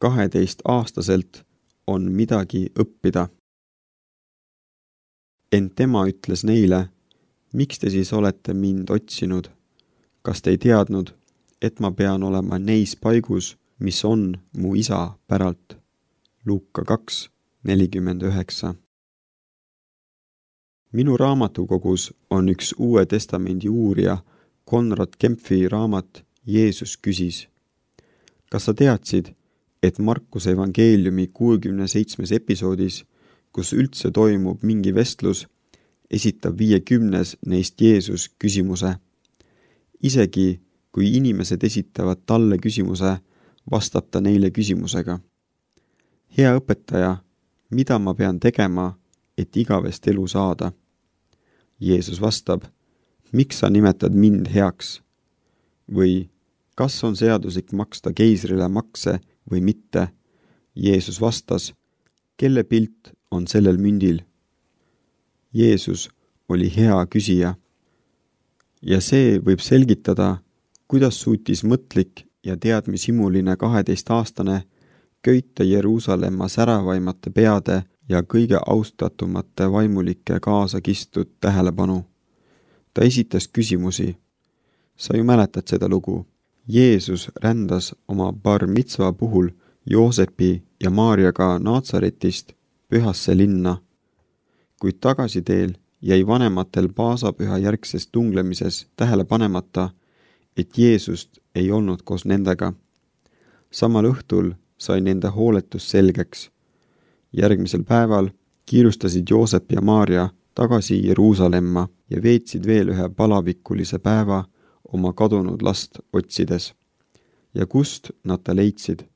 12-aastaselt on midagi õppida. Ent tema ütles neile, miks te siis olete mind otsinud? Kas te ei teadnud, et ma pean olema neis paigus, mis on mu isa päralt? Luuka 2:49. Minu raamatukogus on üks Uue Testamendi uurija Konrad Kempfi raamat Jeesus küsis. Kas sa teadsid, et Markuse evangeeliumi 67. episoodis, kus üldse toimub mingi vestlus, esitab 50 neist Jeesus küsimuse. Isegi kui inimesed esitavad talle küsimuse, vastab ta neile küsimusega. Hea õpetaja, mida ma pean tegema, et igavest elu saada? Jeesus vastab, miks sa nimetad mind heaks? Või kas on seaduslik maksta keisrile makse või mitte? Jeesus vastas, kelle pilt on sellel mündil? Jeesus oli hea küsija. Ja see võib selgitada, kuidas suutis mõtlik ja teadmishimuline 12-aastane köita Jeruusalemma säravaimate peade ja kõige austatumate vaimulike kaasa kistud tähelepanu. Ta esitas küsimusi. Sa ju mäletad seda lugu. Jeesus rändas oma bar mitzva puhul Joosepi ja Maarjaga Naatsaretist pühasse linna. Kuid tagasiteel jäi vanematel paasapüha järgsest tunglemises tähele panemata, et Jeesust ei olnud koos nendega. Samal õhtul sai nende hooletus selgeks. Järgmisel päeval kiirustasid Joosep ja Maarja tagasi Jeruusalemma ja veetsid veel ühe palavikulise päeva oma kadunud last otsides. Ja kust nad ta leidsid?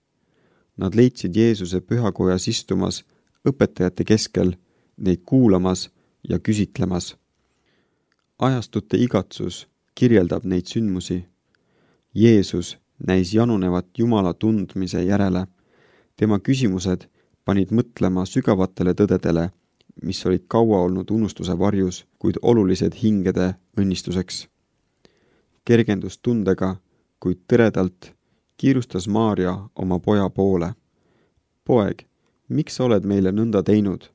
Nad leidsid Jeesuse pühakojas istumas õpetajate keskel, neid kuulamas ja küsitlemas. Ajastute igatsus kirjeldab neid sündmusi. Jeesus näis janunevat Jumala tundmise järele. Tema küsimused panid mõtlema sügavatele tõdedele, mis olid kaua olnud unustuse varjus, kuid olulised hingede õnnistuseks. Kergendustundega, kuid tõredalt kiirustas Maarja oma poja poole. Poeg, miks sa oled meile nõnda teinud?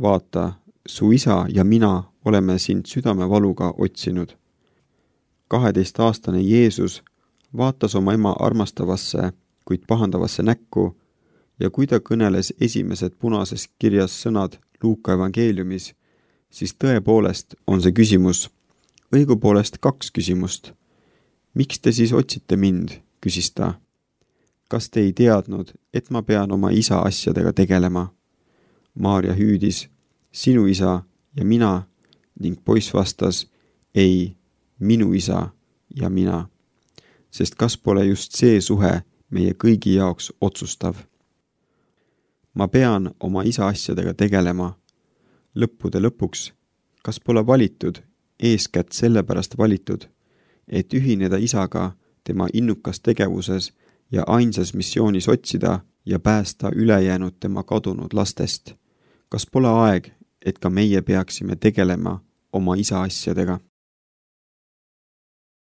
Vaata, su isa ja mina oleme sind südamevaluga otsinud. 12-aastane Jeesus vaatas oma ema armastavasse, kuid pahandavasse näkku ja kui ta kõneles esimesed punases kirjas sõnad Luuka evangeeliumis, siis tõepoolest on see küsimus, õigupoolest 2 küsimust. Miks te siis otsite mind, küsis ta. Kas te ei teadnud, et ma pean oma isa asjadega tegelema? Maarja hüüdis, sinu isa ja mina, ning poiss vastas, ei, minu isa ja mina. Sest kas pole just see suhe meie kõigi jaoks otsustav? Ma pean oma isa asjadega tegelema. Lõppude lõpuks, kas pole valitud, eeskätt sellepärast valitud, et ühineda isaga tema innukas tegevuses ja ainsas missioonis otsida ja päästa ülejäänud tema kadunud lastest? Kas pole aeg, et ka meie peaksime tegelema oma isa asjadega?